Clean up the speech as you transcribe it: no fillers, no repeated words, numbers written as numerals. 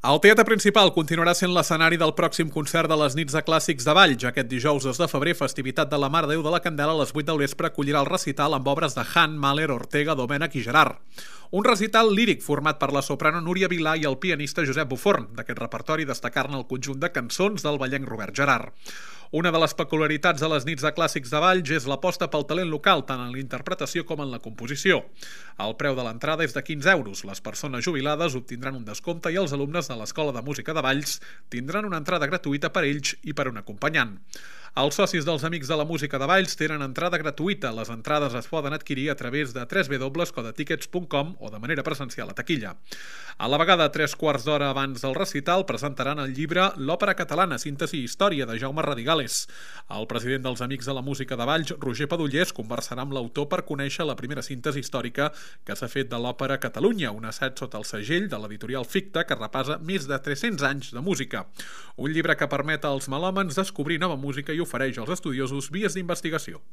El Teatre Principal continuarà sent l'escenari del pròxim concert de les nits de clàssics de Valls. Aquest dijous 2 de febrer, festivitat de la Mare de Déu de la Candela, a les 8 del vespre acollirà el recital amb obres de Han, Mahler, Ortega, Domènech i Gerard. Un recital líric format per la soprano Núria Vilà i el pianista Josep Buforn. D'aquest repertori destacar-ne el conjunt de cançons del vallenc Robert Gerard. Una de les peculiaritats de les nits de clàssics de Valls és l'aposta pel talent local, tant en la interpretació com en la composició. El preu de l'entrada és de 15 euros. Les persones jubilades obtindran un descompte i els alumnes de l'Escola de Música de Valls tindran una entrada gratuïta per ells i per un acompanyant. Els socis dels Amics de la Música de Valls tenen entrada gratuïta. Les entrades es poden adquirir a través de www.codetickets.com o de manera presencial a taquilla. A la vegada, 3/4 d'hora abans del recital, presentaran el llibre L'òpera catalana, síntesi i història, de Jaume Radigales. El president dels Amics de la Música de Valls, Roger Padullers, conversarà amb l'autor per conèixer la primera síntesi històrica que s'ha fet de l'òpera Catalunya, un assaig sota el segell de l'editorial Ficta que repassa més de 300 anys de música. Un llibre que permet als melòmans descobrir nova música i ofereix als estudiosos vies d'investigació.